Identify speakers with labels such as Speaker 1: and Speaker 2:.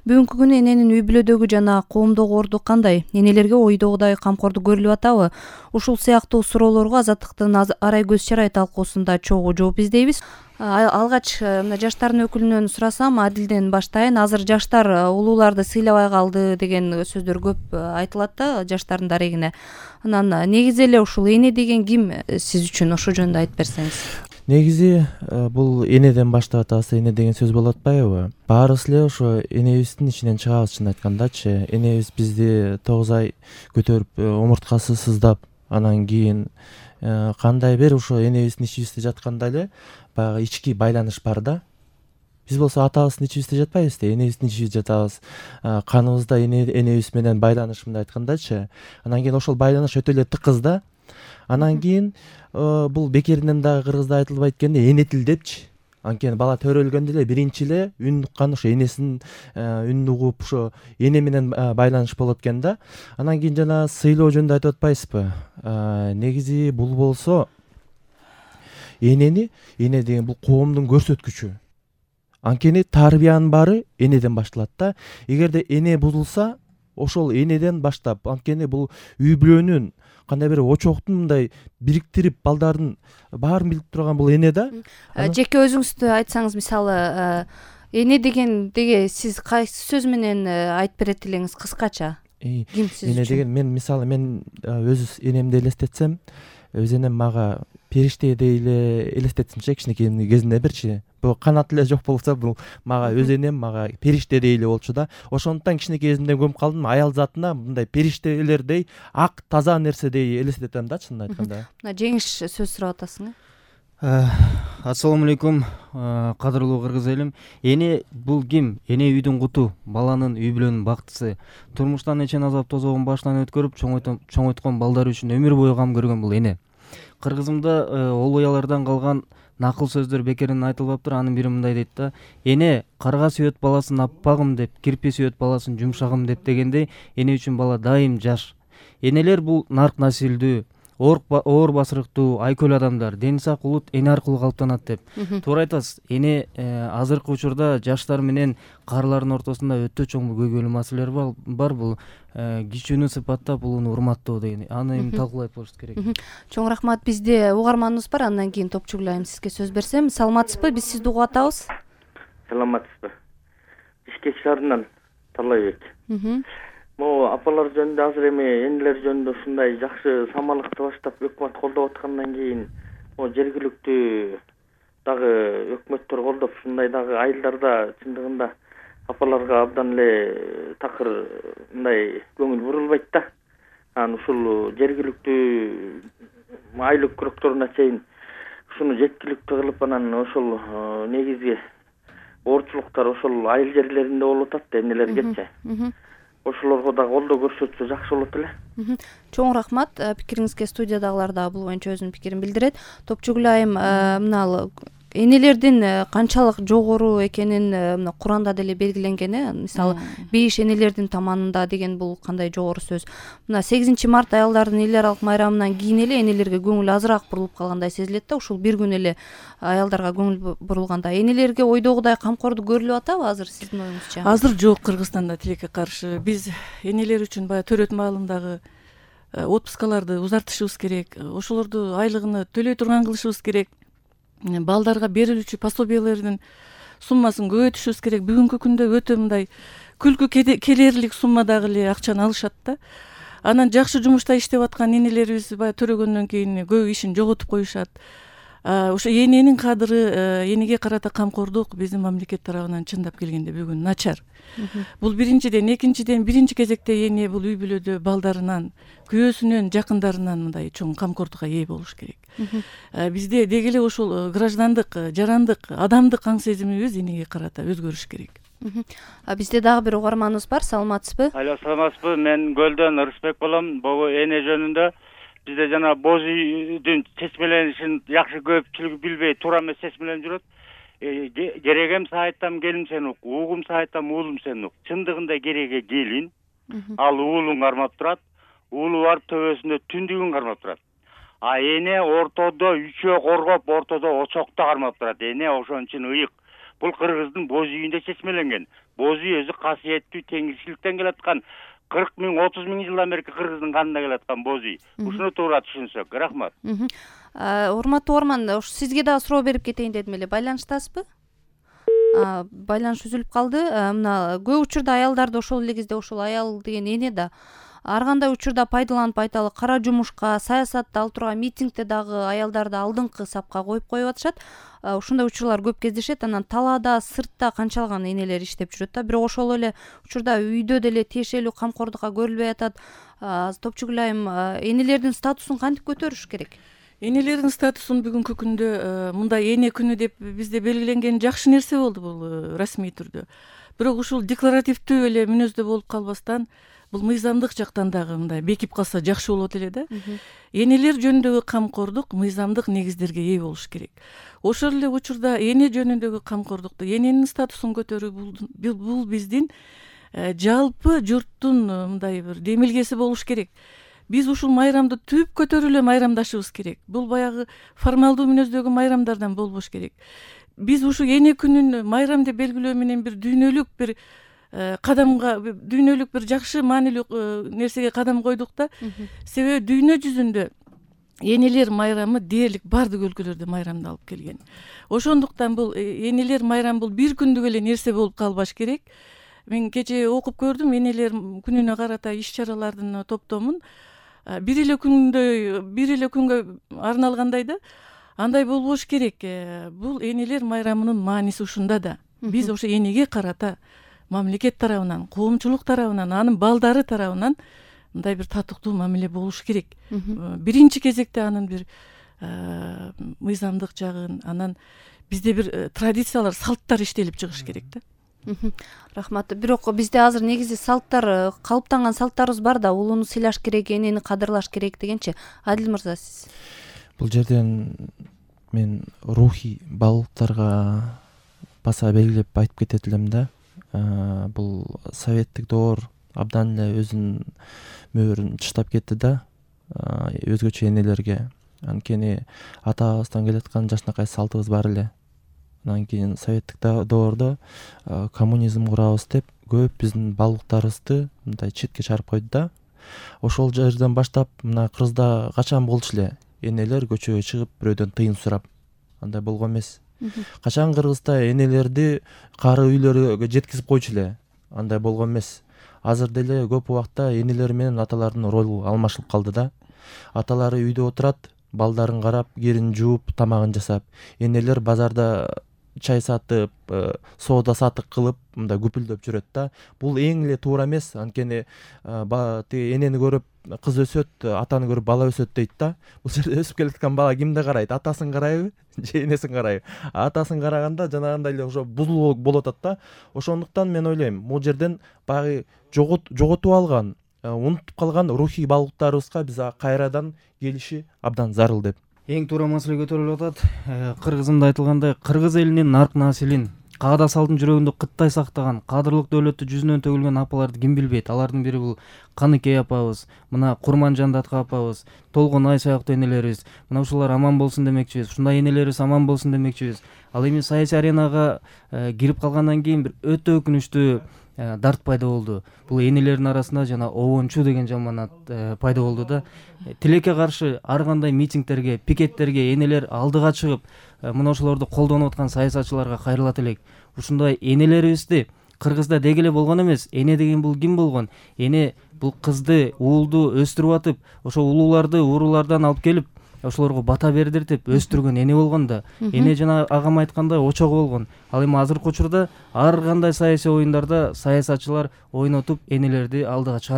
Speaker 1: Бүгүнкү күнү эненин үй бүлөдөгү жана коомдогу орду кандай? Энелерге ойдогудай камкордук көрүлүп атабы? Ушул сыяктуу суроолорго Азаттыктын арай көз чарай талкуусунда чогуу жооп издейбиз. Алгач мына жаштардын өкүлүнөн сурасам, Адилден баштайын. Азыр жаштар улууларды сыйлабай калды деген сөздөр көп айтылат да жаштардын дарегине. Анан негизи эле ушул эне деген ким сиз үчүн? Ошол жөнүндө айтып берсеңиз.
Speaker 2: Негизи бул энеден баштап атабыз, эне деген сөз болуп атпайбы? Баарыбыз эле ошо энебиздин ичинен чыгабыз, чын айткандачы. Энебиз бизди 9 ай көтөрүп, омурткасы сыздап, анан кийин кандай бир ошо энебиздин ичибизде жатканда эле баягы ички байланыш бар да. Биз болсо атабыздын ичибизде жатпайбыз да, энебиздин ичибизде жатабыз. Каныбызда энебиз менен байланыш, мындай айткандачы. Анан кийин ошол байланыш өтө эле тыкыз да. Анан кийин бул бекеринен дагы кыргызда айтылбайт экенде, эне тил депчи. Анткени бала төрөлгөндө эле биринчи эле үн уккан ошо энесинин үнүн угуп, ошо эне менен байланыш болот экен да. Анан кийин жана сыйлоо жөнүндө айтып атпайсызбы? Негизи бул болсо эне деген бул коомдун көрсөткүчү. Анткени тарбиянын баары энеден башталат да. Эгерде эне бузулса, ошол энеден баштап, анткени бул үй бүлөнүн кандай бир очоктун мындай бириктирип балдардын баарын билип турган бул эне да.
Speaker 1: Жеке өзүңүздү айтсаңыз, мисалы эне дегенде сиз кайсы сөз менен айтып берет элеңиз кыскача? Ким сиз
Speaker 2: эне
Speaker 1: үчүн?
Speaker 2: деген мен өз энемди элестетсем, өз энем мага периштедей эле элестетсинчи, кичинекей кезинде бирчи. Бул канат эле жок болсо, бул мага өз энем мага периштедей эле болчу да. Ошондуктан кичинекей кезимден көмүп калдым, аял затына мындай периштелердей ак, таза нерседей элестетем да, чынын айтканда.
Speaker 1: Мына жеңиш сөз сурап атасың.
Speaker 3: Ассалому алейкум, кадырлуу кыргыз элим. Эне бул ким? Эне үйдүн куту, баланын, үй бүлөнүн бактысы. Турмуштан эчен азап тозогун баштан өткөрүп, чоңойткон балдар үчүн өмүр бою кам көргөн бул эне. Кыргызымда олуялардан калган накыл сөздөр бекеринен айтылбаптыр. Анын бири мындай дейт да: эне карга сүйөт баласын аппагым деп, кирпи сүйөт баласын жумшагым деп дегендей, эне үчүн бала дайым жаш. Энелер бул нарк насилдүү, оор басырыктуу, айкөл адамдар. Дени сак улут эне аркылуу калыптанат деп. Туура айтасыз. Эне азыркы учурда жаштар менен каарылардын ортосунда өтө чоң көйгөйлүү маселелер бар. Бул кичүүнү сыпаттап, улууну урматтоо деген. Аны эми талкуулайт болушубуз керек.
Speaker 1: Чоң рахмат. Бизде угарманыбыз бар. Андан кийин Топчугул айым сизге сөз берсем. Саламатсызбы? Биз сизди угуп атабыз.
Speaker 4: Саламатсызбы? Бишкек шаарынан Талайбек. Могу апалар жөнүндө, азыр эми энелер жөнүндө ушундай жакшы самалыкты баштап өкмөт колдоп аткандан кийин, могу жергиликтүү дагы өкмөттөр колдоп, ушундай дагы айылдарда чындыгында апаларга абдан эле такыр мындай көңүл бурулбайт да. Анан ушул жергиликтүү айлык күрөктөрүнө чейин ушуну жеткиликтүү кылып, анан ошол негизги оорчулуктар ошол айыл жерлеринде болуп атат да, энелергечи. Ошолорго да колдоо көрсөтсө жакшы болот эле.
Speaker 1: Чоң рахмат. Пикириңизге студиядагылар да бул боюнча өзүнүн пикирин билдирет. Топчугул айым, мына энелердин канчалык жогору экенин мына Куранда деле белгиленген, мисалы бейиш энелердин таманында деген бул кандай жогору сөз. Мына 8 март аялдардын эл аралык майрамынан кийин эле энелерге көңүл азыраак бурулуп калгандай сезилет да. Ушул бир күн эле аялдарга көңүл бурулганда энелерге ойдогудай камкордук көрүлүп атабы азыр сиздин оюңузча?
Speaker 5: Азыр жок, Кыргызстанда тилекке каршы. Биз энелер үчүн баягы төрөт маалындагы отпускаларды узартышыбыз керек. Ошолорду айлыгын төлөй турган кылышыбыз керек. Балдарга берилүүчү пособиялардын суммасын көбөйтүшүбүз керек. Бүгүнкү күндө өтө мындай күлкү келерлик суммадагы эле акчаны алышат да. Анан жакшы жумушта иштеп аткан энелерибиз баягы төрөгөндөн кийин көп ишин жоготуп коюшат. Ошо эненин кадыры, энеге карата камкордук биздин мамлекет тарабынан чындап келгенде бүгүн начар. Бул биринчиден. Экинчиден, биринчи кезекте эне бул үй бүлөдө балдарынан, күйөөсүнөн, жакындарынан мындай чоң камкордукка ээ болуш керек. Бизде деги эле ушул граждандык, жарандык, адамдык аң сезимибиз энеге карата өзгөрүш керек.
Speaker 1: Бизде дагы бир угарманыбыз бар. Саламатсызбы?
Speaker 6: Алло, саламатсызбы? Мен Көлдөн Ырысбек болом. Бул эне жөнүндө бизде жана боз үйдүн чечмеленишин жакшы көпчүлүгү билбей, туура эмес чечмеленип жүрөт. Керегем сайыттам келим сен ук, угум сайыттам уулум сен ук. Чындыгында кереге келин, ал уулун кармап турат. Уулу барып төбөсүндө түндүгүн кармап турат. А эне ортодо үчөө коргоп, ортодо очокто кармап турат. Эне ошон үчүн ыйык. Бул Кыргыздын боз үйүндө чечмеленген. боз үй өзү касиеттүү теңирчиликтен келаткан 40 миң 30 миң жылдан берки кыргыздын канында келаткан боз үй. Ушуну туура түшүнсөк. Рахмат.
Speaker 1: Урматтуу Орман, сизге дагы суроо берип кетейин дедим эле. Байланыштасызбы? Байланыш үзүлүп калды. Мына көп учурда аялдарды ошол эле кезде ошол аял деген эне да ар кандай учурда пайдаланып айталы кара жумушка, саясатта ал турган митингде дагы аялдарды алдыңкы сапка коюп атышат. Ушундай учурлар көп кездешет. Анан талаада, сыртта канчалаган энелер иштеп жүрөт да. Бирок ошол эле учурда үйдө деле тиешелүү камкордукка көрүлбөй атат. Топчугүл айым, энелердин статусун кантип көтөрүш керек?
Speaker 5: Энелердин статусун бүгүнкү күндө мындай эне күнү деп бизде белгиленген жакшы нерсе болду бул расмий түрдө. Бирок ушул декларативдүү эле мүнөздө болуп калбастан бул мыйзамдык жактан дагы мындай бекип калса жакшы болот эле да. Энелер жөнүндөгү камкордук мыйзамдык негиздерге ээ болуш керек. Ошол эле учурда эне жөнүндөгү камкордукту, эненин статусун көтөрүү бул биздин жалпы журттун мындай бир демилгеси болуш керек. Биз ушул майрамды түп көтөрүп эле майрамдашыбыз керек. Бул баягы формалдуу мүнөздөгү майрамдардан болбош керек. Биз ушу эне күнүн майрам деп белгилөө менен бир дүйнөлүк бир кадамга, дүйнөлүк бир жакшы маанилүү нерсеге кадам койдук да. Себеби дүйнө жүзүндө энелер майрамы дээрлик бардык өлкөлөрдө майрамды алып келген. Ошондуктан бул энелер майрамы бул бир күндүк эле нерсе болуп калбаш керек. Мен кечээ окуп көрдүм энелер күнүнө карата иш-чаралардын топтомун. Бир эле күнгө арналгандай да. Андай болбош керек. Бул энелер майрамынын мааниси ушунда да. Биз ошо энеге карата мамлекет тарабынан, коомчулук тарабынан, анын балдары тарабынан мындай бир татыктуу мамиле болуш керек. Биринчи кезекте анын бир мыйзамдык жагын, анан бизде бир традициялар, салттар иштелип чыгыш керек да.
Speaker 1: Рахмат. Бирок бизде азыр негизи салттар, калыптанган салттарыбыз бар да, улууну сыйлаш керек, энени кадырлаш керек дегенчи. Адил мырза, сиз?
Speaker 2: Бул жерден мен рухий балыктарга баса белгилеп айтып кетет элем да. Бул советтик доор абдан эле өзүнүн мөөрүн чыштап кетти да өзгөчө энелерге. Анткени атабыздан келаткан жакшынакай салтыбыз бар эле. Анан кийин советтик доордо коммунизм курабыз деп көп биздин балыктарыбызды мындай четке чыгарып койду да. Ошол жерден баштап мына Кыргызда качан болчу эле энелер көчөгө чыгып бирөөдөн тыйын сурап. Андай болгон эмес. Качан Кыргызда энелерди кары үйлөргө жеткизип койчу эле. Андай болгон эмес. Азыр деле көп убакта энелер менен аталардын ролу алмашылып калды да. Аталары үйдө отурат, балдарын карап, кирин жууп, тамагын жасап. Энелер базарда чай сатып, соода сатык кылып, мындай күпүлдөп жүрөт да. Бул эң эле туура эмес. Анткени тиги энени көрүп кыз өсөт, атаны көрүп бала өсөт дейт да. Бул жерде өсүп келаткан бала кимди карайт? Атасын карайбы же энесин карайбы? Атасын караганда жанагындай эле ошо бузулуу болуп атат да. Ошондуктан мен ойлойм, бул жерден баягы жоготуп алган, унутуп калган рухий балыктарыбызга биз кайрадан келиши абдан зарыл деп.
Speaker 3: Эң туура маселе көтөрүлүп атат. Кыргызымда айтылгандай, кыргыз элинин нарк населин, каада салдын жүрөгүндө кыттай сактаган, кадырлык дөөлөттү жүзүнөн төгүлгөн апаларды ким билбейт? Алардын бири бул Каныкей апабыз, мына Курманжандатка апабыз, Толгонай сыяктуу энелерибиз. Мына ушулар аман болсун демекчибиз. Ушундай энелерибиз аман болсун демекчибиз. Ал эми саясий аренага кирип калгандан кийин бир өтө өкүнүчтүү дарт пайда болду. Бул энелердин арасында жана обончу деген жаманат пайда болду да. Тилекке каршы ар кандай митингдерге, пикеттерге энелер алдыга чыгып, мына ошолорду колдонуп аткан саясатчыларга кайрылат элек. Ушундай энелерибизди Кыргызда деги эле болгон эмес. Эне деген бул ким болгон? Эне бул кызды, уулду өстүрүп атып, ошо улууларды уруулардан алып келип, ошолорго бата бердиртип өстүргөн эне болгон да. Эне жана агам айткандай очогу болгон. Ал эми азыркы учурда ар кандай саясий оюндарда саясатчылар ойнотуп энелерди алдыга чыгарып